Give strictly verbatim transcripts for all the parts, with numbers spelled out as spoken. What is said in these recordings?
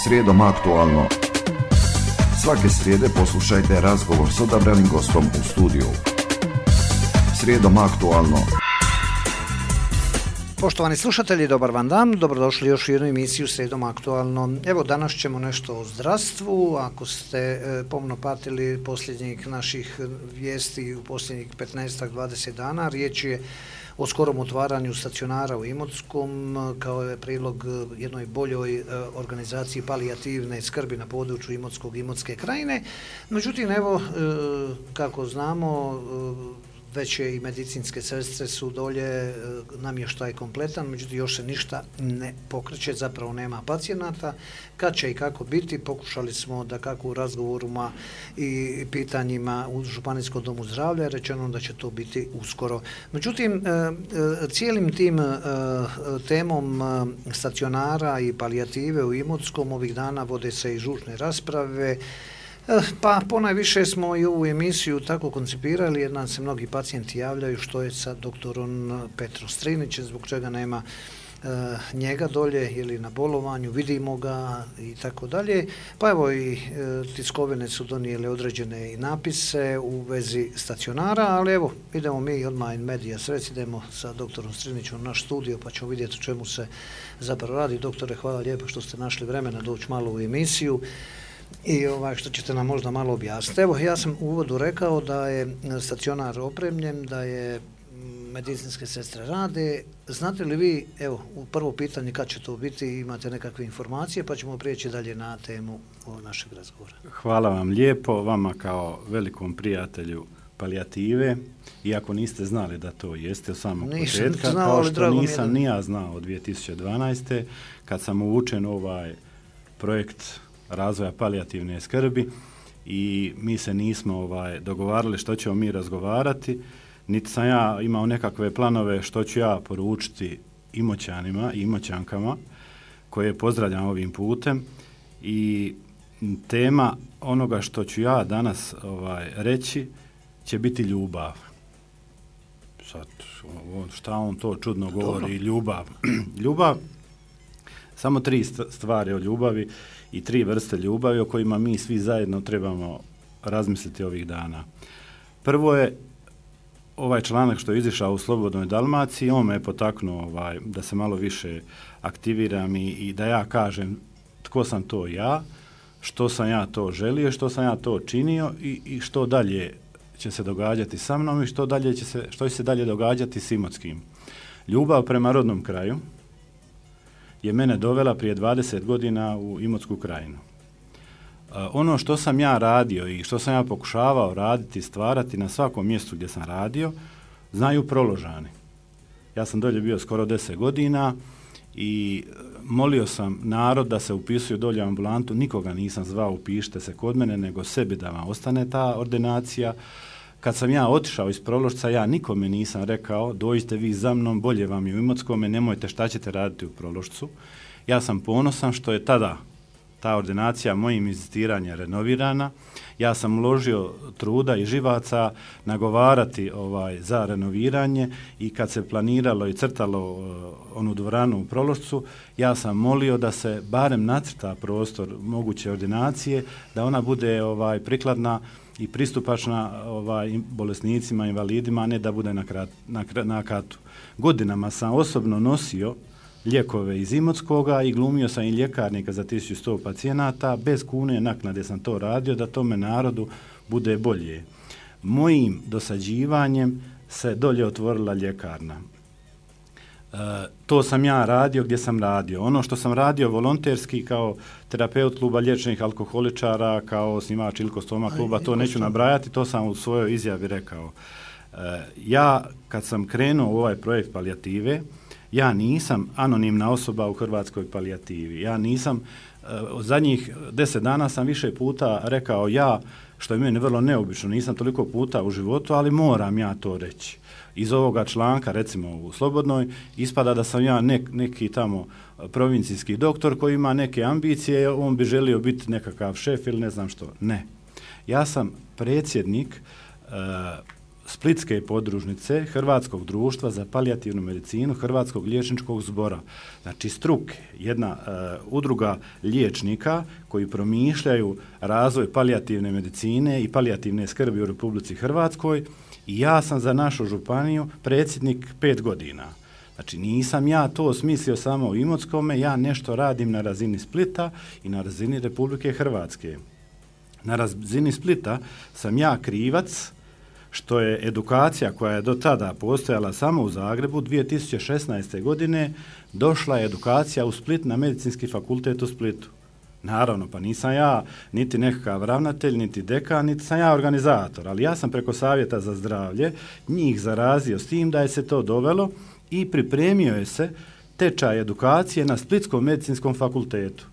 Srijedom aktualno. Svake srijede poslušajte razgovor s odabranim gostom u studiju. Srijedom aktualno. Poštovani slušatelji, dobar vam dan, dobrodošli još u jednu emisiju Srijedom aktualno. Evo, danas ćemo nešto o zdravstvu. Ako ste e, pomno pratili posljednjih naših vijesti u posljednjih petnaest do dvadeset dana, riječ je o skorom otvaranju stacionara u Imotskom kao je prilog jednoj boljoj e, organizaciji palijativne skrbi na području Imotskog i Imotske krajine. Međutim, evo, e, kako znamo, e, već je i medicinske sestre su dolje, namještaj kompletan, međutim još se ništa ne pokreće, zapravo nema pacijenata. Kad će i kako biti, pokušali smo da kako u razgovorima i pitanjima u Županijskom domu zdravlja rečeno da će to biti uskoro. Međutim, cijelim tim temom stacionara i palijative u Imotskom ovih dana vode se i žučne rasprave. Pa ponajviše smo i ovu emisiju tako koncipirali jer nam se mnogi pacijenti javljaju što je sa doktorom Petrom Strinićem, zbog čega nema e, njega dolje ili na bolovanju, vidimo ga i tako dalje. Pa evo i e, tiskovine su donijele određene i napise u vezi stacionara, ali evo idemo mi odmah in media res, idemo sa doktorom Strinićem u naš studio pa ćemo vidjeti o čemu se zapravo radi. Doktore, hvala lijepo što ste našli vremena doći malo u emisiju i ovaj, što ćete nam možda malo objasniti. Evo, ja sam u uvodu rekao da je stacionar opremljen, da je medicinske sestre rade. Znate li vi, evo, u prvo pitanje kad će to biti, imate nekakve informacije, pa ćemo prijeći dalje na temu našeg razgovora. Hvala vam lijepo, vama kao velikom prijatelju palijative, iako niste znali da to jeste od samog početka, kao što nisam ni ja znao od dvije tisuće dvanaeste. kad sam uvučen ovaj projekt razvoja palijativne skrbi i mi se nismo ovaj dogovarali što ćemo mi razgovarati, niti sam ja imao nekakve planove što ću ja poručiti Imoćanima i Imoćankama koje pozdravljam ovim putem i tema onoga što ću ja danas ovaj reći će biti ljubav. Sad, šta on to čudno govori, ljubav. Ljubav, samo tri stvari o ljubavi i tri vrste ljubavi o kojima mi svi zajedno trebamo razmisliti ovih dana. Prvo je ovaj članak što je izišao u Slobodnoj Dalmaciji, on me je potaknuo ovaj, da se malo više aktiviram i, i da ja kažem tko sam to ja, što sam ja to želio, što sam ja to činio i, i što dalje će se događati sa mnom i što, dalje će se, što će se dalje događati s Imotskim. Ljubav prema rodnom kraju je mene dovela prije dvadeset godina u Imotsku krajinu. Uh, ono što sam ja radio i što sam ja pokušavao raditi, stvarati na svakom mjestu gdje sam radio, znaju Proložani. Ja sam dolje bio skoro deset godina i molio sam narod da se upisuju dolje u ambulantu, nikoga nisam zvao upišite se kod mene, nego sebi da vam ostane ta ordinacija. Kad sam ja otišao iz Prološca, ja nikome nisam rekao dođite vi za mnom, bolje vam je u Imotskome, nemojte šta ćete raditi u Prološcu. Ja sam ponosan što je tada ta ordinacija mojim inzistiranjem renovirana. Ja sam uložio truda i živaca nagovarati ovaj, za renoviranje i kad se planiralo i crtalo uh, onu dvoranu u Prološcu, ja sam molio da se barem nacrta prostor moguće ordinacije, da ona bude ovaj, prikladna i pristupačna ovaj, bolesnicima, invalidima, a ne da bude na, krat, na, na katu. Godinama sam osobno nosio lijekove iz Imotskoga i glumio sam i ljekarnika za tisuću sto pacijenata, bez kune naknade sam to radio da tome narodu bude bolje. Mojim dosađivanjem se dolje otvorila ljekarna. E, to sam ja radio gdje sam radio. Ono što sam radio volonterski kao terapeut kluba liječenih alkoholičara, kao osnivač Ilko Stoma kluba, to neću nabrajati, to sam u svojoj izjavi rekao. E, ja kad sam krenuo u ovaj projekt palijative, ja nisam anonimna osoba u hrvatskoj palijativi. Ja nisam, od zadnjih deset dana sam više puta rekao ja, što je meni vrlo neobično, nisam toliko puta u životu, ali moram ja to reći. Iz ovoga članka, recimo u Slobodnoj, ispada da sam ja nek, neki tamo provincijski doktor koji ima neke ambicije, on bi želio biti nekakav šef ili ne znam što. Ne. Ja sam predsjednik uh, Splitske podružnice Hrvatskog društva za palijativnu medicinu Hrvatskog liječničkog zbora. Znači struke, jedna uh, udruga liječnika koji promišljaju razvoj palijativne medicine i palijativne skrbi u Republici Hrvatskoj i ja sam za našu županiju predsjednik pet godina. Znači nisam ja to smislio samo u Imotskome, ja nešto radim na razini Splita i na razini Republike Hrvatske. Na razini Splita sam ja krivac što je edukacija koja je do tada postojala samo u Zagrebu, dvije tisuće šesnaeste. godine došla je edukacija u Split na Medicinski fakultet u Splitu. Naravno, pa nisam ja niti nekakav ravnatelj, niti dekan, niti sam ja organizator, ali ja sam preko Savjeta za zdravlje njih zarazio s tim da je se to dovelo i pripremio je se tečaj edukacije na Splitskom medicinskom fakultetu.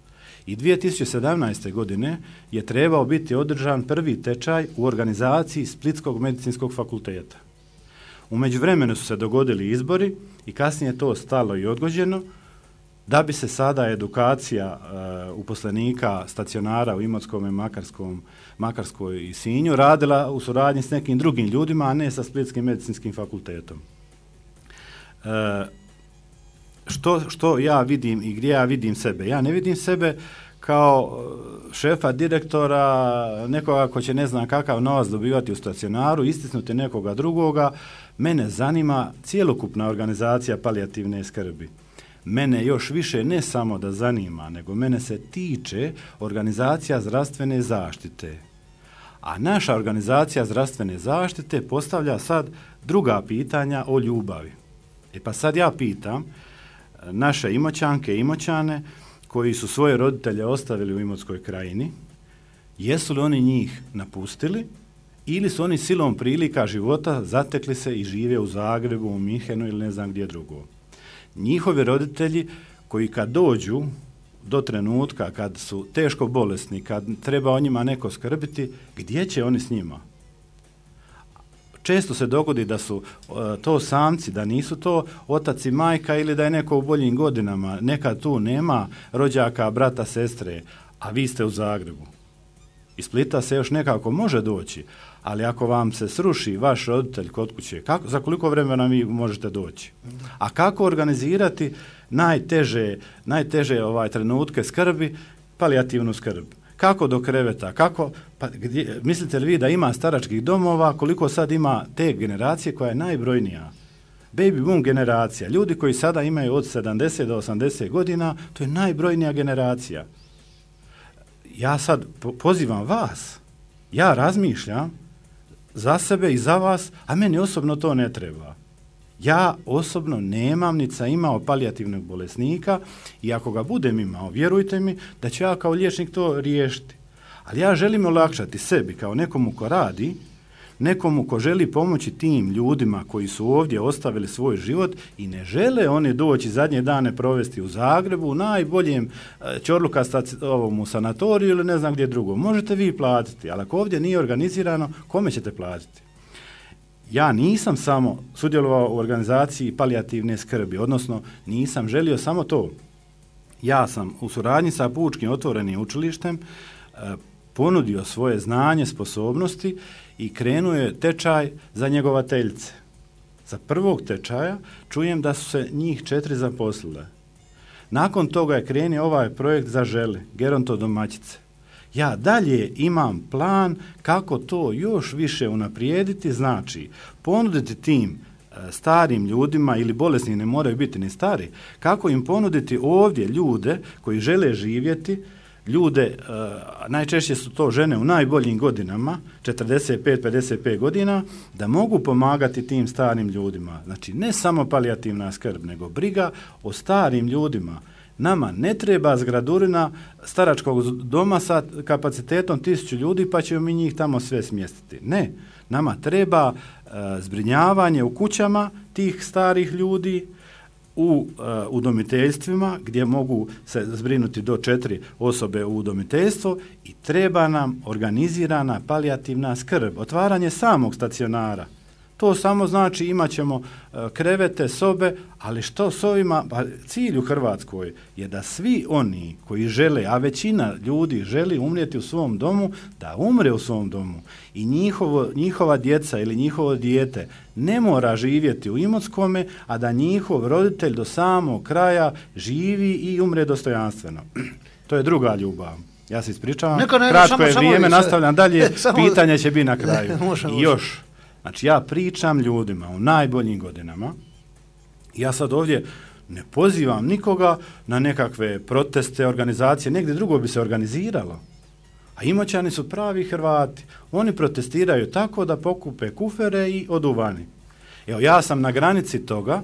I dvije tisuće sedamnaeste. godine je trebao biti održan prvi tečaj u organizaciji Splitskog medicinskog fakulteta. U međuvremenu su se dogodili izbori i kasnije to stalo i odgođeno, da bi se sada edukacija uh, uposlenika stacionara u Imotskome, Makarskom, Makarskoj i Sinju radila u suradnji s nekim drugim ljudima, a ne sa Splitskim medicinskim fakultetom. Uh, Što, što ja vidim i gdje ja vidim sebe? Ja ne vidim sebe kao šefa, direktora, nekoga ko će ne znam kakav novac dobivati u stacionaru, istisnuti nekoga drugoga. Mene zanima cjelokupna organizacija palijativne skrbi. Mene još više ne samo da zanima, nego mene se tiče organizacija zdravstvene zaštite. A naša organizacija zdravstvene zaštite postavlja sad druga pitanja o ljubavi. E pa sad ja pitam naše Imoćanke i Imoćane koji su svoje roditelje ostavili u Imotskoj krajini, jesu li oni njih napustili ili su oni silom prilika života zatekli se i žive u Zagrebu, u Minhenu ili ne znam gdje drugo. Njihovi roditelji koji kad dođu do trenutka kad su teško bolesni, kad treba o njima neko skrbiti, gdje će oni s njima? Često se dogodi da su uh, to samci, da nisu to otac i majka ili da je neko u boljim godinama. Nekad tu nema rođaka, brata, sestre, a vi ste u Zagrebu. Iz Splita se još nekako može doći, ali ako vam se sruši vaš roditelj kod kuće, kako, za koliko vremena vi možete doći? A kako organizirati najteže, najteže ovaj trenutke skrbi, palijativnu skrb? Kako do kreveta, kako, pa gdje, mislite li vi da ima staračkih domova, koliko sad ima te generacije koja je najbrojnija? Baby boom generacija, ljudi koji sada imaju od sedamdeset do osamdeset godina, to je najbrojnija generacija. Ja sad po- pozivam vas, ja razmišljam za sebe i za vas, a meni osobno to ne treba. Ja osobno nemam, niti sam imao palijativnog bolesnika i ako ga budem imao, vjerujte mi da ću ja kao liječnik to riješiti. Ali ja želim olakšati sebi kao nekomu ko radi, nekomu ko želi pomoći tim ljudima koji su ovdje ostavili svoj život i ne žele oni doći zadnje dane provesti u Zagrebu, u najboljem Ćorluka ovom u sanatoriju ili ne znam gdje drugo. Možete vi platiti, ali ako ovdje nije organizirano, kome ćete platiti? Ja nisam samo sudjelovao u organizaciji palijativne skrbi, odnosno nisam želio samo to. Ja sam u suradnji sa Pučkim otvorenim učilištem e, ponudio svoje znanje, sposobnosti i krenuo je tečaj za njegovateljice. Za prvog tečaja čujem da su se njih četiri zaposlile. Nakon toga je krenuo ovaj projekt Zaželi, gerontodomaćice. Ja dalje imam plan kako to još više unaprijediti, znači ponuditi tim e, starim ljudima ili bolesni, ne moraju biti ni stari, kako im ponuditi ovdje ljude koji žele živjeti, ljude, e, najčešće su to žene u najboljim godinama, četrdeset pet pedeset pet godina, da mogu pomagati tim starim ljudima. Znači ne samo palijativna skrb, nego briga o starim ljudima. Nama ne treba zgradurina staračkog doma sa kapacitetom tisuću ljudi pa ćemo mi njih tamo sve smjestiti. Ne, nama treba e, zbrinjavanje u kućama tih starih ljudi, u e, udomiteljstvima gdje mogu se zbrinuti do četiri osobe u udomiteljstvo i treba nam organizirana palijativna skrb, otvaranje samog stacionara. To samo znači imat ćemo krevete, sobe, ali što s ovima, pa cilj u Hrvatskoj je da svi oni koji žele, a većina ljudi želi umrijeti u svom domu, da umre u svom domu i njihovo, njihova djeca ili njihovo dijete ne mora živjeti u Imotskome, a da njihov roditelj do samog kraja živi i umre dostojanstveno. To je druga ljubav. Ja se ispričavam, Neka, ne, kratko samo, je samo vrijeme, samo, nastavljam dalje, samo, pitanje će biti na kraju. može, I može. još, znači ja pričam ljudima u najboljim godinama, ja sad ovdje ne pozivam nikoga na nekakve proteste, organizacije, negdje drugo bi se organiziralo. A Imoćani su pravi Hrvati. Oni protestiraju tako da pokupe kufere i odu vani. Evo, ja sam na granici toga,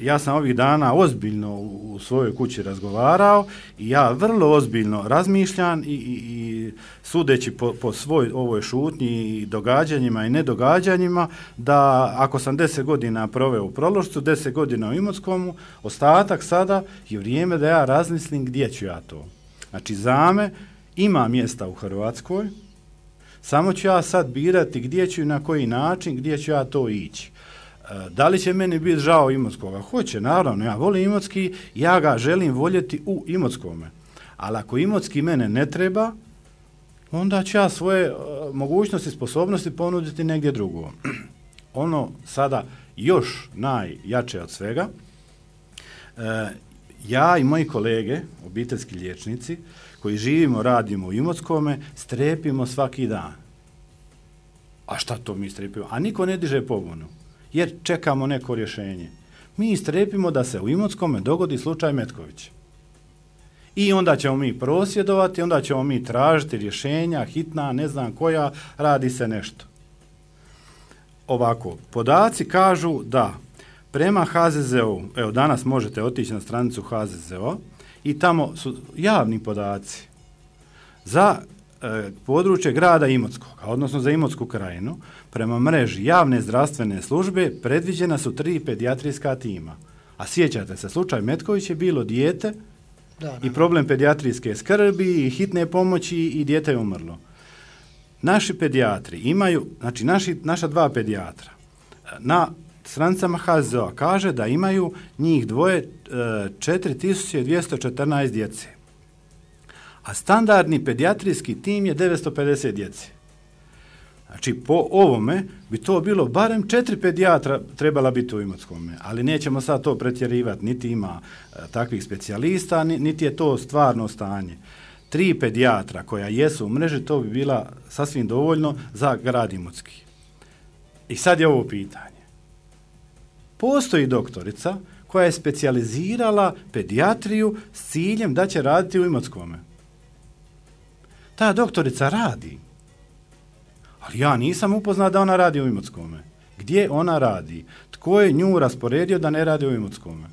ja sam ovih dana ozbiljno u, u svojoj kući razgovarao i ja vrlo ozbiljno razmišljam i, i, i sudeći po, po svoj ovoj šutnji i događanjima i nedogađanjima, da ako sam deset godina proveo u Prološcu, deset godina u Imotskomu, ostatak sada je vrijeme da ja razmislim gdje ću ja to. Znači, za me ima mjesta u Hrvatskoj, samo ću ja sad birati gdje ću i na koji način, gdje ću ja to ići. Da li će meni biti žao Imotskoga? Hoće, naravno, ja volim Imotski, ja ga želim voljeti u Imotskome. Ali ako Imotski mene ne treba, onda ću ja svoje uh, mogućnosti, sposobnosti ponuditi negdje drugo. Ono sada još najjače od svega, uh, ja i moji kolege, obiteljski liječnici, koji živimo, radimo u Imotskome, strepimo svaki dan. A šta to mi strepimo? A niko ne diže pobunu, jer čekamo neko rješenje. Mi strepimo da se u Imotskome dogodi slučaj Metković. I onda ćemo mi prosvjedovati, onda ćemo mi tražiti rješenja, hitna, ne znam koja, radi se nešto. Ovako, podaci kažu da prema H Z Z O, evo danas možete otići na stranicu H Z Z O i tamo su javni podaci za e, područje grada Imotskog, odnosno za Imotsku krajinu, prema mreži javne zdravstvene službe predviđena su tri pedijatrijska tima. A sjećate se, slučaj Metković je bilo dijete da, da, i problem pedijatrijske skrbi i hitne pomoći i dijete je umrlo. Naši pedijatri imaju, znači naši, naša dva pedijatra, na stranicama H Z Z O kaže da imaju njih dvoje četiri tisuće dvjesto četrnaest djece. A standardni pedijatrijski tim je devetsto pedeset djece. Znači, po ovome bi to bilo barem četiri pedijatra trebala biti u Imotskome, ali nećemo sad to pretjerivati, niti ima e, takvih specijalista, niti je to stvarno stanje. Tri pedijatra koja jesu u mreži, to bi bila sasvim dovoljno za grad Imotski. I sad je ovo pitanje. Postoji doktorica koja je specijalizirala pedijatriju s ciljem da će raditi u Imotskome. Ta doktorica radi. Ali ja nisam upoznat da ona radi u Imotskome. Gdje ona radi? Tko je nju rasporedio da ne radi u Imotskome?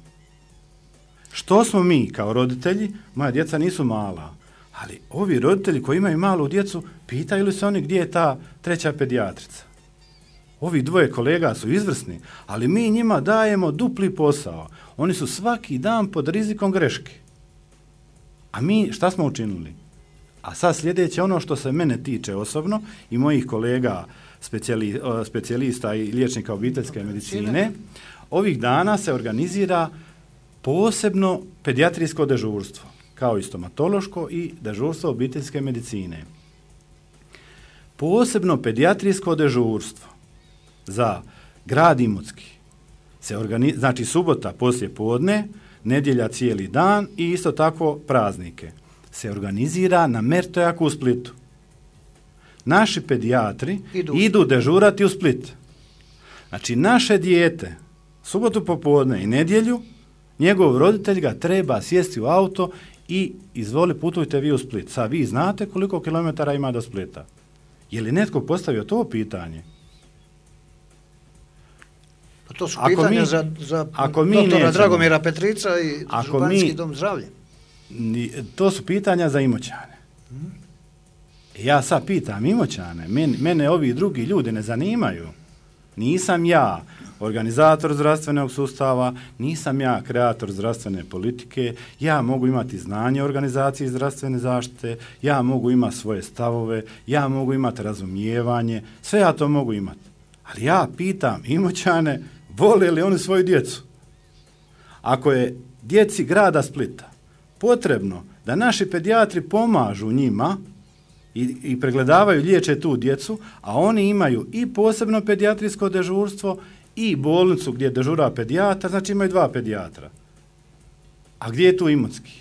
Što smo mi kao roditelji? Moja djeca nisu mala. Ali ovi roditelji koji imaju malu djecu, pitaju li se oni gdje je ta treća pedijatrica? Ovi dvoje kolega su izvrsni, ali mi njima dajemo dupli posao. Oni su svaki dan pod rizikom greške. A mi šta smo učinili? A sad sljedeće, ono što se mene tiče osobno i mojih kolega specijali, specijalista i liječnika obiteljske medicine, ovih dana se organizira posebno pedijatrijsko dežurstvo, kao i stomatološko i dežurstvo obiteljske medicine. Posebno pedijatrijsko dežurstvo za grad Imotski se organizira, znači subota poslije podne, nedjelja cijeli dan i isto tako praznike, se organizira na Mertojaku u Splitu. Naši pedijatri idu, idu dežurati u Split. Znači, naše dijete, subotu popodne i nedjelju, njegov roditelj ga treba sjesti u auto i izvoli, putujte vi u Split. Sad vi znate koliko kilometara ima do Splita. Je li netko postavio to pitanje? Pa to su ako pitanja mi, za, za doktora nećemo, Dragomira Petrica i Županijski dom zdravlja. To su pitanja za Imoćane. Hmm. Ja sad pitam Imoćane, mene, mene ovi drugi ljudi ne zanimaju. Nisam ja organizator zdravstvenog sustava, nisam ja kreator zdravstvene politike, ja mogu imati znanje o organizaciji zdravstvene zaštite, ja mogu imati svoje stavove, ja mogu imati razumijevanje, sve ja to mogu imati. Ali ja pitam Imoćane, vole li oni svoju djecu? Ako je djeci grada Splita potrebno da naši pedijatri pomažu njima i, i pregledavaju, liječe tu djecu, a oni imaju i posebno pedijatrijsko dežurstvo i bolnicu gdje dežura pedijatar, znači imaju dva pedijatra. A gdje je tu Imotski?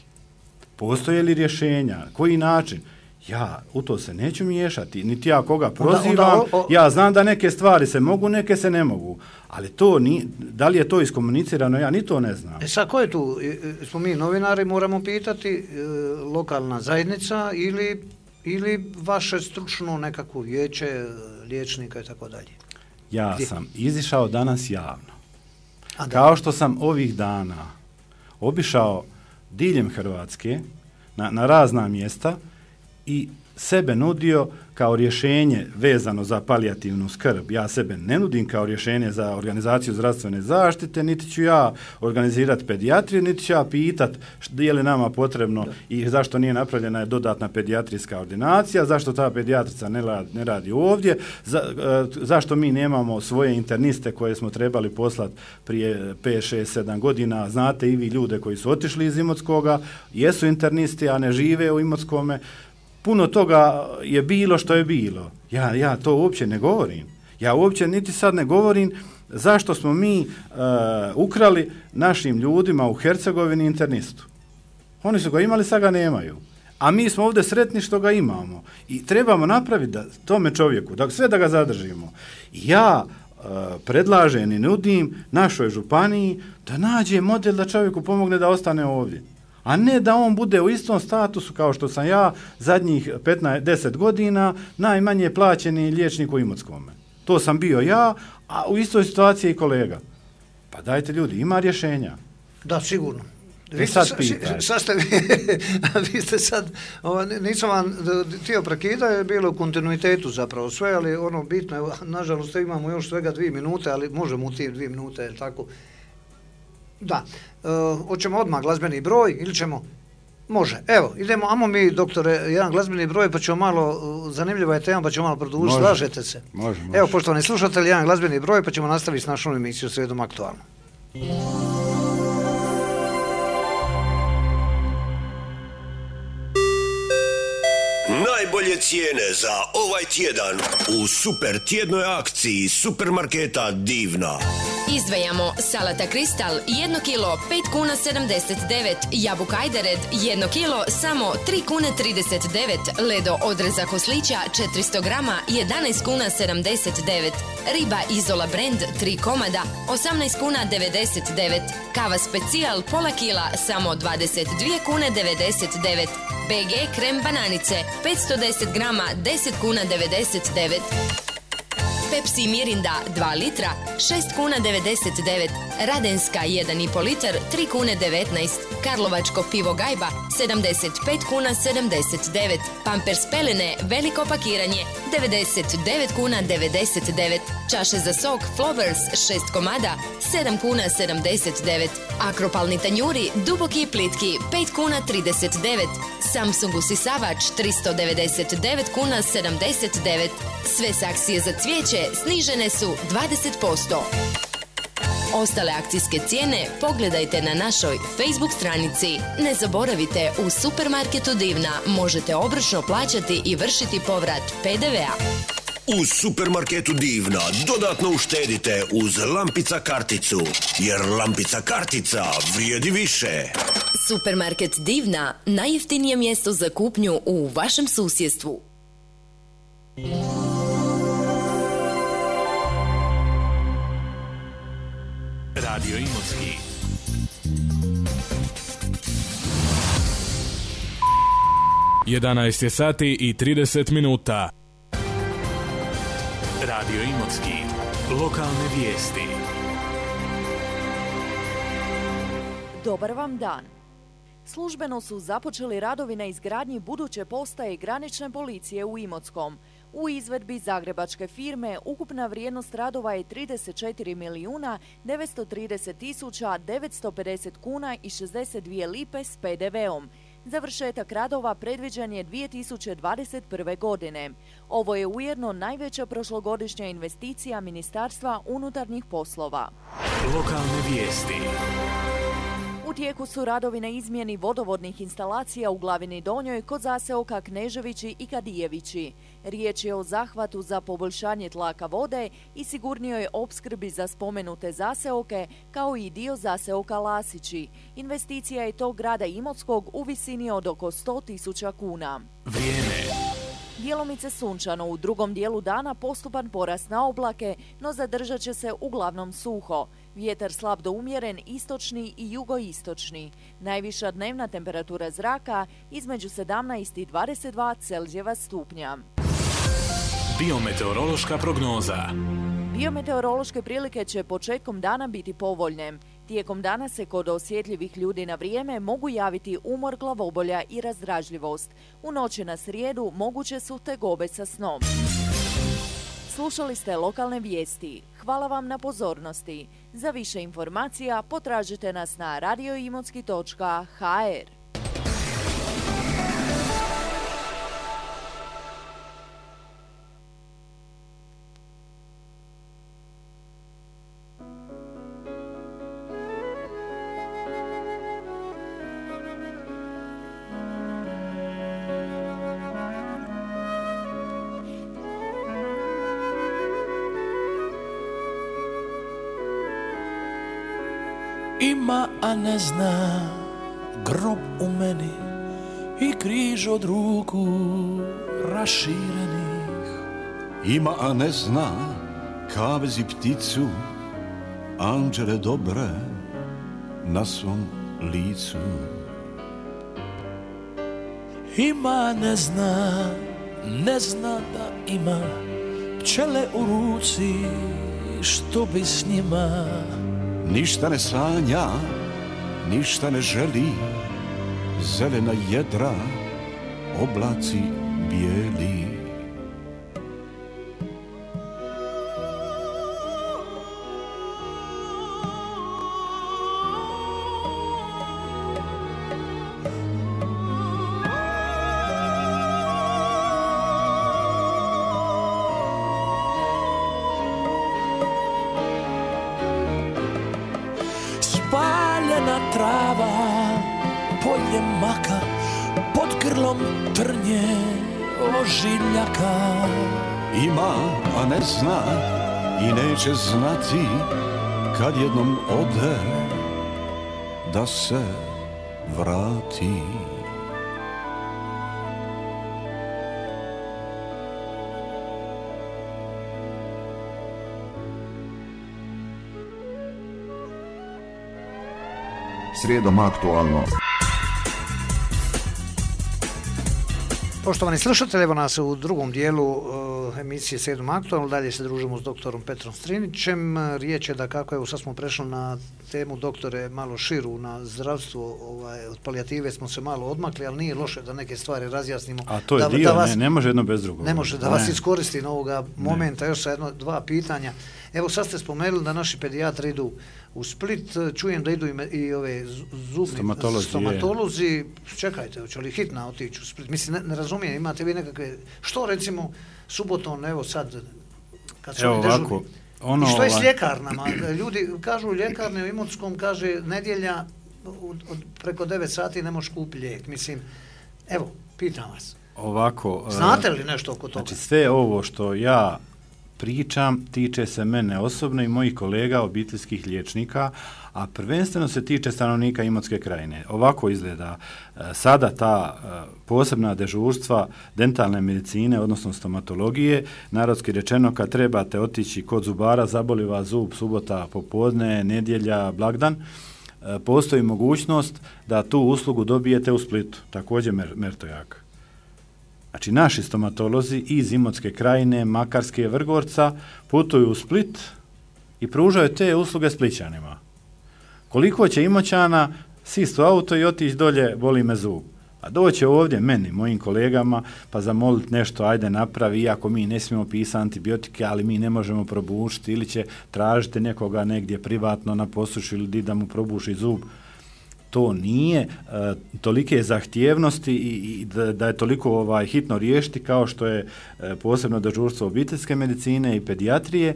Postoje li rješenja? Koji način? Ja u to se neću miješati, niti ja koga prozivam, onda, onda, o, o, ja znam da neke stvari se mogu, neke se ne mogu, ali to ni, da li je to iskomunicirano, ja ni to ne znam. E sad, ko je tu? Smo mi novinari, moramo pitati, e, lokalna zajednica ili, ili vaše stručno nekako vijeće, liječnika i tako dalje? Ja Gdje? sam izišao danas javno. A, Kao što sam ovih dana obišao diljem Hrvatske, na, na razna mjesta, i sebe nudio kao rješenje vezano za palijativnu skrb. Ja sebe ne nudim kao rješenje za organizaciju zdravstvene zaštite, niti ću ja organizirati pedijatriju, niti ću ja pitat je li nama potrebno i zašto nije napravljena dodatna pedijatrijska ordinacija, zašto ta pedijatrica ne radi, ne radi ovdje, za, zašto mi nemamo svoje interniste koje smo trebali poslati prije pet, šest, sedam godina. Znate i vi ljude koji su otišli iz Imotskoga, jesu internisti, a ne žive u Imotskome. Puno toga je bilo što je bilo. Ja, ja to uopće ne govorim. Ja uopće niti sad ne govorim zašto smo mi uh, ukrali našim ljudima u Hercegovini internistu. Oni su ga imali, sad ga nemaju. A mi smo ovdje sretni što ga imamo. I trebamo napraviti da tome čovjeku, da sve da ga zadržimo. Ja uh, predlažem i nudim našoj županiji da nađe model da čovjeku pomogne da ostane ovdje. A ne da on bude u istom statusu kao što sam ja zadnjih petnaest deset godina najmanje plaćeni liječnik u Imotskome. To sam bio ja, a u istoj situaciji i kolega. Pa dajte ljudi, ima rješenja. Da, sigurno. Vi sad pitajte. Sad ste vi, vi ste sad, ovo, nisam vam htio prekida, je bilo u kontinuitetu zapravo sve, ali ono bitno je, nažalost imamo još svega dvije minute, ali možemo u tim dvije minute, je tako? Da, e, hoćemo odmah glazbeni broj ili ćemo? Može, evo, idemo, amo mi doktore jedan glazbeni broj pa ćemo malo, zanimljiva je tema pa ćemo malo produžiti, slažete se? Može, može. Evo, poštovani slušatelji, jedan glazbeni broj pa ćemo nastaviti s našom emisijom Srijedom aktualno. Najbolje cijene za ovaj tjedan u super tjednoj akciji supermarketa Divna. Izdvajamo salata Kristal jedno kilo pet kuna sedamdeset devet, jabuka Ajdered jedno kilo samo tri kune trideset devet, ledo odrezak oslića četiristo grama jedanaest kuna sedamdeset devet, riba Izola Brand tri komada osamnaest kuna devedeset devet, kava specijal pola kila samo dvadeset dvije kune devedeset devet, B G krem bananice petsto deset grama deset kuna devedeset devet. Pepsi Mirinda dva litra šest kuna devedeset devet, Radenska jedan i pol litar tri kune devetnaest, Karlovačko pivo Gajba sedamdeset pet kuna sedamdeset devet, Pampers pelene veliko pakiranje devedeset devet kuna devedeset devet, čaše za sok Flowers šest komada sedam kuna sedamdeset devet, Akropalni tanjuri duboki i plitki pet kuna trideset devet, Samsung usisavač tristo devedeset devet kuna sedamdeset devet. Sve saksije za cvijeće snižene su dvadeset posto. Ostale akcijske cijene pogledajte na našoj Facebook stranici. Ne zaboravite, u supermarketu Divna možete obročno plaćati i vršiti povrat P D V-a. U supermarketu Divna dodatno uštedite uz Lampica karticu, jer Lampica kartica vrijedi više. Supermarket Divna, najjeftinije mjesto za kupnju u vašem susjedstvu. Radio Imotski. jedanaest je sati i trideset minuta. Radio Imotski. Lokalne vijesti. Dobar vam dan. Službeno su započeli radovi na izgradnji buduće postaje granične policije u Imotskom. U izvedbi zagrebačke firme ukupna vrijednost radova je trideset četiri milijuna devetsto trideset tisuća devetsto pedeset kuna i šezdeset dvije lipe s P D V-om. Završetak radova predviđen je dvije tisuće dvadeset prve. godine. Ovo je ujedno najveća prošlogodišnja investicija Ministarstva unutarnjih poslova. Lokalne vijesti. U tijeku su radovi na izmjeni vodovodnih instalacija u Glavini Donjoj kod zaseoka Kneževići i Kadijevići. Riječ je o zahvatu za poboljšanje tlaka vode i sigurnijoj opskrbi za spomenute zaseoke, kao i dio zaseoka Lasići. Investicija je tog grada Imotskog u visini od oko sto tisuća kuna. Vrijeme. Djelomice sunčano, u drugom dijelu dana postupan porast na oblake, no zadržat će se uglavnom suho. Vjetar slab do umjeren, istočni i jugoistočni. Najviša dnevna temperatura zraka između sedamnaest i dvadeset dva Celzijeva stupnja. Biometeorološka prognoza. Biometeorološke prilike će početkom dana biti povoljne. Tijekom dana se kod osjetljivih ljudi na vrijeme mogu javiti umor, glavobolja i razdražljivost. U noći na srijedu moguće su tegobe sa snom. Slušali ste lokalne vijesti. Hvala vam na pozornosti. Za više informacija potražite nas na radioimotski točka ha er. Ima, a ne zna, grob u meni i križ od ruku raširenih. Ima, a ne zna, kavez i pticu, anđele dobre na svom licu. Ima, ne zna, ne zna da ima pčele u ruci, što bi s njima. Ništa ne sanja, ništa ne želi, zelena jedra, oblaci bijeli. Trava, polje maka, pod grlom trnje ožiljaka. Ima, a ne zna i neće znati kad jednom ode da se vrati. Srijedom aktualno. Poštovani slušatelji, evo nas u drugom dijelu uh, emisije Srijedom aktualno. Dalje se družimo s doktorom Petrom Strinićem. Riječ je da kako, evo sad smo prešli na temu, doktore, malo širu, na zdravstvo. Ovaj, od palijative smo se malo odmakli, ali nije loše da neke stvari razjasnimo. A to je da, dio, da vas, ne, ne može jedno bez drugog. Ne može, da ne. vas iskoristim ovoga momenta, ne. Još sa jedno, dva pitanja. Evo sad ste spomenuli da naši pedijatri idu u Split, čujem da idu i, me, i ove zubni stomatolozi. stomatolozi. Čekajte, hoće li hitna otići u Split? Mislim, ne, ne razumijem, imate vi nekakve, što recimo subotom, evo sad, kad su evo oni ovako, dežurni, ono, i što je s ovaj... ljekarnama? Ljudi kažu u ljekarni u Imotskom, kaže nedjelja od, od preko devet sati ne možeš kupiti lijek. Mislim, evo, pitam vas. Ovako, znate li nešto oko toga? Znači sve ovo što ja pričam tiče se mene osobno i mojih kolega obiteljskih liječnika, a prvenstveno se tiče stanovnika Imotske krajine. Ovako izgleda sada ta posebna dežurstva dentalne medicine, odnosno stomatologije, narodski rečeno kad trebate otići kod zubara, zaboli vas zub, subota popodne, nedjelja, blagdan, postoji mogućnost da tu uslugu dobijete u Splitu, također Mertojak. Znači, naši stomatolozi iz Imotske krajine, Makarske, Vrgorca putuju u Split i pružaju te usluge Splićanima. Koliko će Imoćana sist u auto i otići dolje, boli me zub. A doće ovdje meni, mojim kolegama, pa zamoliti nešto, ajde napravi, iako mi ne smijemo pisati antibiotike, ali mi ne možemo probušiti, ili će tražiti nekoga negdje privatno na posuši ili da mu probuši zub. to nije uh, tolike zahtjevnosti i, i da, da je toliko ovaj, hitno riješiti kao što je uh, posebno dežurstvo obiteljske medicine i pedijatrije,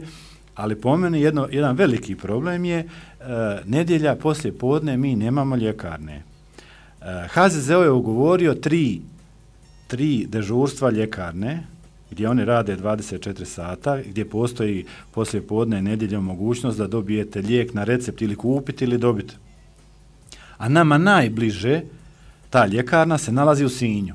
ali po meni jedno, jedan veliki problem je uh, nedjelja poslije podne mi nemamo ljekarne. Uh, H Z Z O je ugovorio tri, tri dežurstva ljekarne, gdje oni rade dvadeset četiri sata, gdje postoji poslije podne nedjeljom mogućnost da dobijete lijek na recept ili kupiti ili dobiti. A nama najbliže ta ljekarna se nalazi u Sinju.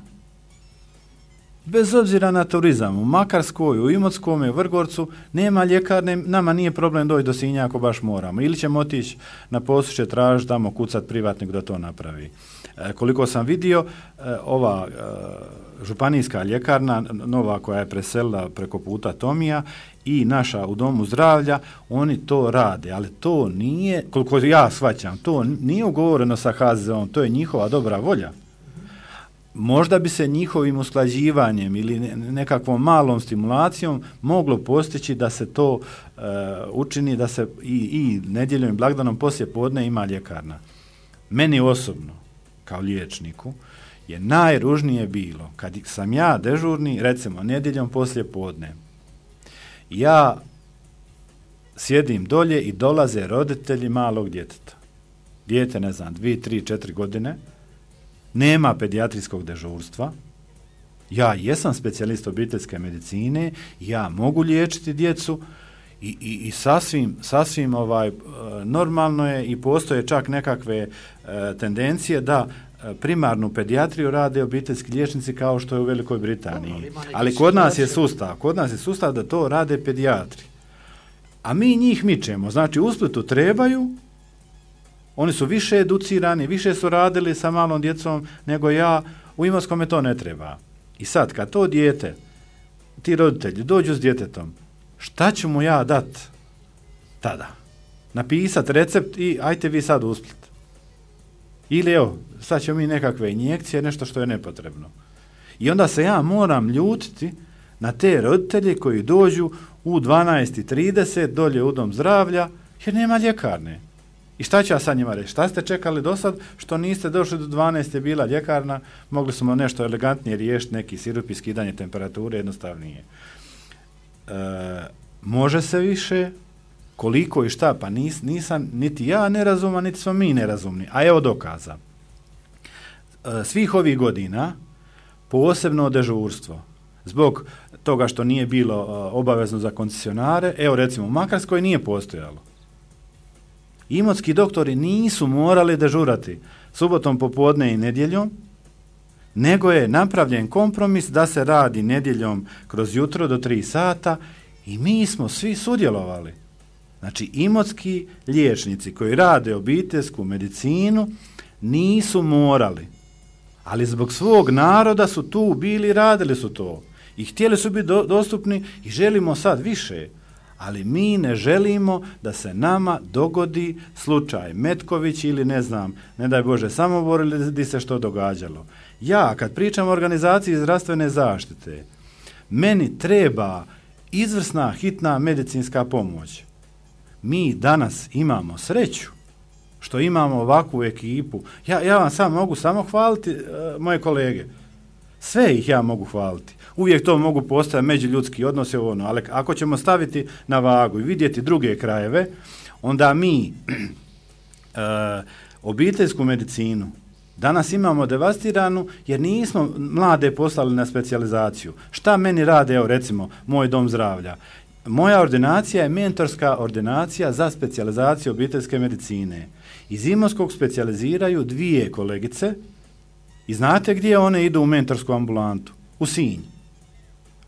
Bez obzira na turizam, u Makarskoj, u Imotskom, u Vrgorcu, nema ljekarne, nama nije problem doći do Sinja ako baš moramo. Ili ćemo otići na Posušće, tražiti tamo, kucat privatnik da to napravi. E, koliko sam vidio, e, ova e, županijska ljekarna, nova koja je preselila preko puta Tomija i naša u domu zdravlja, oni to rade, ali to nije, koliko ja shvaćam, to nije ugovoreno sa H Z Z O-om, to je njihova dobra volja. Možda bi se njihovim usklađivanjem ili nekakvom malom stimulacijom moglo postići da se to uh, učini, da se i, i nedjeljom i blagdanom poslije podne ima ljekarna. Meni osobno, kao liječniku, je najružnije bilo kad sam ja dežurni, recimo nedjeljom poslije podne. Ja sjedim dolje i dolaze roditelji malog djeteta. Dijete, ne znam, dvije, tri, četiri godine, nema pedijatrijskog dežurstva. Ja jesam specijalist obiteljske medicine, ja mogu liječiti djecu i, i, i sasvim, sasvim ovaj, normalno je i postoje čak nekakve e, tendencije da primarnu pedijatriju rade obiteljski liječnici kao što je u Velikoj Britaniji. Ali kod nas je sustav, kod nas je sustav da to rade pedijatri. A mi njih mičemo, znači u Splitu trebaju, oni su više educirani, više su radili sa malom djecom nego ja, u Imotskome to ne treba. I sad, kad to dijete, ti roditelji dođu s djetetom, šta ću mu ja dat tada? Napisat recept i ajte vi sad u Split. Ili evo, sad ćemo mi nekakve injekcije, nešto što je nepotrebno. I onda se ja moram ljutiti na te roditelje koji dođu u dvanaest i trideset dolje u dom zdravlja, jer nema ljekarne. I šta ću ja sad njima reći? Šta ste čekali do sad što niste došli do dvanaest je bila ljekarna, mogli smo nešto elegantnije riješiti, neki sirup i skidanje temperature, jednostavnije. E, može se više, koliko i šta, pa nis, nisam niti ja nerazumna, niti smo mi nerazumni. A evo dokaza. E, svih ovih godina, posebno dežurstvo, zbog toga što nije bilo e, obavezno za koncesionare, evo recimo u Makarskoj nije postojalo. Imotski doktori nisu morali dežurati subotom popodne i nedjeljom, nego je napravljen kompromis da se radi nedjeljom kroz jutro do tri sata i mi smo svi sudjelovali. Znači, imotski liječnici koji rade obiteljsku medicinu nisu morali, ali zbog svog naroda su tu bili, radili su to i htjeli su biti do, dostupni i želimo sad više. Ali mi ne želimo da se nama dogodi slučaj Metković ili ne znam, ne daj Bože, Samobor ili di se što događalo. Ja, kad pričam o organizaciji zdravstvene zaštite, meni treba izvrsna hitna medicinska pomoć. Mi danas imamo sreću što imamo ovakvu ekipu. Ja, ja vam sam mogu samo hvaliti uh, moje kolege. Sve ih ja mogu hvaliti. Uvijek to mogu postojati međuljudski odnosi, ono, ali ako ćemo staviti na vagu i vidjeti druge krajeve, onda mi uh, obiteljsku medicinu danas imamo devastiranu jer nismo mlade poslali na specijalizaciju. Šta meni rade, evo recimo, moj dom zdravlja? Moja ordinacija je mentorska ordinacija za specijalizaciju obiteljske medicine. Iz Imotskog specijaliziraju dvije kolegice i znate gdje one idu u mentorsku ambulantu? U Sinj.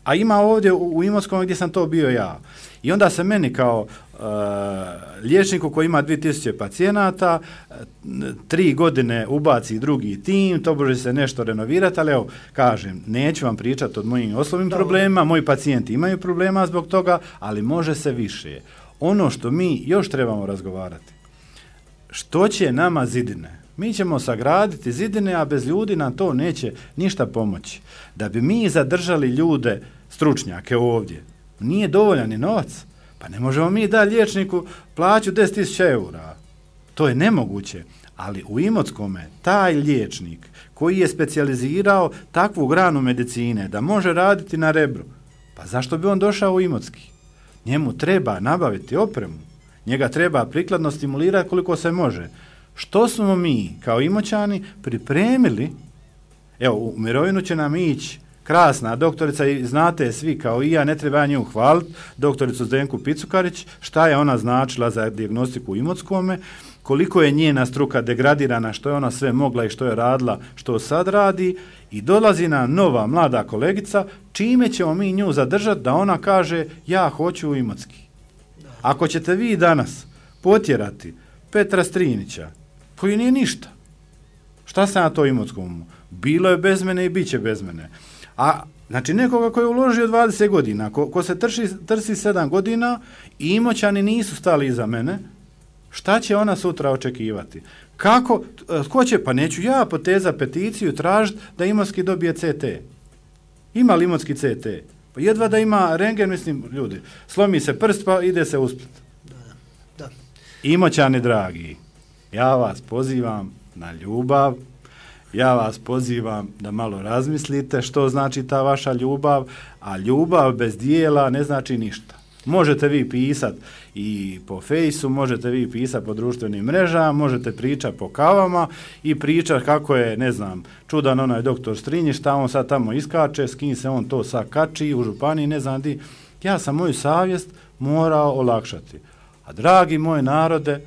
A ima ovdje u, u Imotskom gdje sam to bio ja. I onda se meni kao uh, liječniku koji ima dvije tisuće pacijenata, uh, tri godine ubaci drugi tim, to može se nešto renovirati, ali evo, kažem, neću vam pričati o mojim osnovnim Dobre. problemima, moji pacijenti imaju problema zbog toga, ali može se više. Ono što mi još trebamo razgovarati, što će nama zidine? Mi ćemo sagraditi zidine, a bez ljudi nam to neće ništa pomoći. Da bi mi zadržali ljude, stručnjake ovdje, nije dovoljan ni novac. Pa ne možemo mi da liječniku plaću deset tisuća eura. To je nemoguće. Ali u Imotskome taj liječnik koji je specijalizirao takvu granu medicine da može raditi na Rebru, pa zašto bi on došao u Imotski? Njemu treba nabaviti opremu, njega treba prikladno stimulirati koliko se može. Što smo mi kao Imoćani pripremili? Evo, u mirovinu će nam ići krasna doktorica i znate svi kao i ja, ne treba nju hvaliti, doktoricu Zdenku Picukarić, šta je ona značila za dijagnostiku u Imotskome, koliko je njena struka degradirana, što je ona sve mogla i što je radila, što sad radi, i dolazi nam nova mlada kolegica, čime ćemo mi nju zadržati da ona kaže ja hoću u Imotski. Ako ćete vi danas potjerati Petra Strinića, koji nije ništa, šta se na to Imotskomu? Bilo je bez mene i bit će bez mene. A znači nekoga koji je uložio dvadeset godina, ko, ko se trši, trsi sedam godina i Imoćani nisu stali iza mene, šta će ona sutra očekivati? Kako, ko će, pa neću ja poteza peticiju tražiti da Imotski dobije C T. Ima li Imotski C T? Pa jedva da ima rentgen, mislim, ljudi, slomi se prst pa ide se u Split. Da, da. Imoćani dragi, ja vas pozivam na ljubav, ja vas pozivam da malo razmislite što znači ta vaša ljubav, a ljubav bez dijela ne znači ništa. Možete vi pisati i po fejsu, možete vi pisati po društvenim mrežama, možete pričati po kavama i pričati kako je, ne znam, čudan onaj doktor Strinjić, šta on sad tamo iskače, s kim se on to sad kači u županiji, ne znam di. Ja sam moju savjest morao olakšati. A dragi moj narode,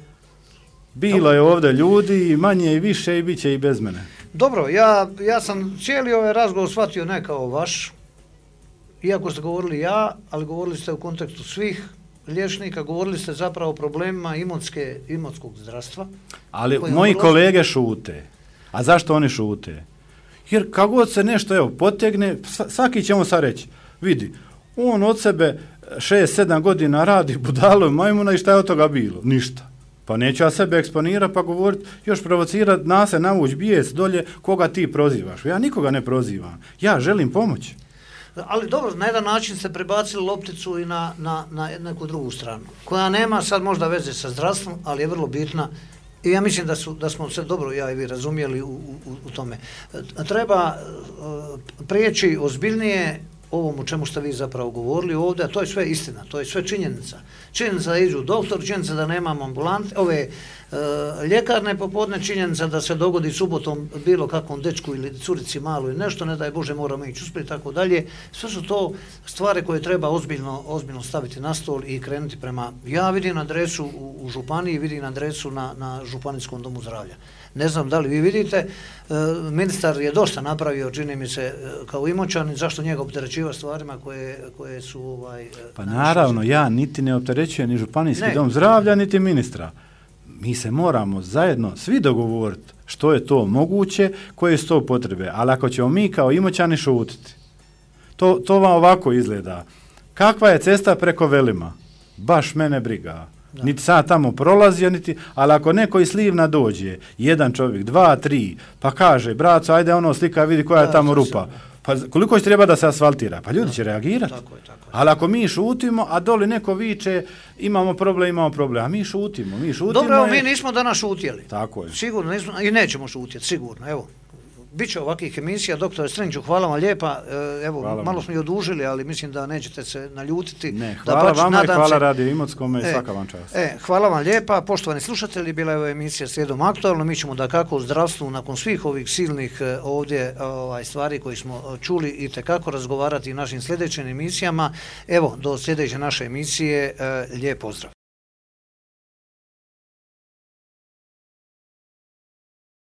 bilo je ovdje ljudi i manje i više i bit će i bez mene. Dobro, ja, ja sam cijeli ovaj razgovor shvatio ne kao vaš, iako ste govorili ja, ali govorili ste u kontekstu svih liječnika, govorili ste zapravo o problemima imotske, imotskog zdravstva. Ali moji kolege šute. A zašto oni šute? Jer kako god se nešto evo potegne, svaki ćemo sad reći, vidi, on od sebe šest sedam godina radi budalo majmuna i šta je od toga bilo? Ništa. Pa neću ja sebe eksponirati pa govoriti, još provocirati, nas se navući bijes dolje, koga ti prozivaš. Ja nikoga ne prozivam. Ja želim pomoći. Ali dobro, na jedan način ste prebacili lopticu i na, na, na neku drugu stranu, koja nema sad možda veze sa zdravstvom, ali je vrlo bitna i ja mislim da, su, da smo sve dobro, ja i vi, razumjeli u, u, u tome. Treba uh, prijeći ozbiljnije ovom o čemu ste vi zapravo govorili ovdje, a to je sve istina, to je sve činjenica. Činjenica da iđu doktor, činjenica da nemamo ambulante, ove e, ljekarne popodne, činjenica da se dogodi subotom bilo kakvom dečku ili curici malo i nešto, ne daj Bože moramo ići uspjeti, tako dalje. Sve su to stvari koje treba ozbiljno, ozbiljno staviti na stol i krenuti prema, ja vidim adresu u, u županiji, vidim adresu na, na županijskom domu zdravlja. Ne znam da li vi vidite, e, ministar je dosta napravio, čini mi se, kao Imoćanin, zašto njega opterećiva stvarima koje, koje su... Ovaj, pa naravno, ja niti ne opterećujem ni županijski ne. dom zdravlja, niti ministra. Mi se moramo zajedno svi dogovoriti što je to moguće, koje su to potrebe. Ali ako ćemo mi kao Imoćani šutiti, to, to vam ovako izgleda. Kakva je cesta preko Velima? Baš mene briga. Da. Niti sad tamo prolazio, niti, ali ako neko iz Slivna dođe, jedan čovjek, dva, tri, pa kaže, braco, ajde ono slika, vidi koja da, je tamo rupa. Pa koliko će treba da se asfaltira? Pa ljudi da. će reagirati. Tako je, tako je. Ali ako mi šutimo, a doli neko viče, imamo problem, imamo problem, a mi šutimo, mi šutimo. Dobro, je... mi nismo danas šutjeli. Tako je. Sigurno nismo, i nećemo šutjeti, sigurno, evo. Biće ovakvih emisija, doktore Strinđu, hvala vam lijepa, evo, hvala malo smo i odužili, ali mislim da nećete se naljutiti. Ne, hvala da vama i hvala se... Radio Imotskome i e, svaka vam čast. E, hvala vam lijepa, poštovani slušatelji, bila je ova emisija Srijedom aktualno, mi ćemo da kako u zdravstvu, nakon svih ovih silnih ovdje ovaj, stvari koje smo čuli i tekako razgovarati u našim sljedećim emisijama. Evo, do sljedeće naše emisije, lijep pozdrav.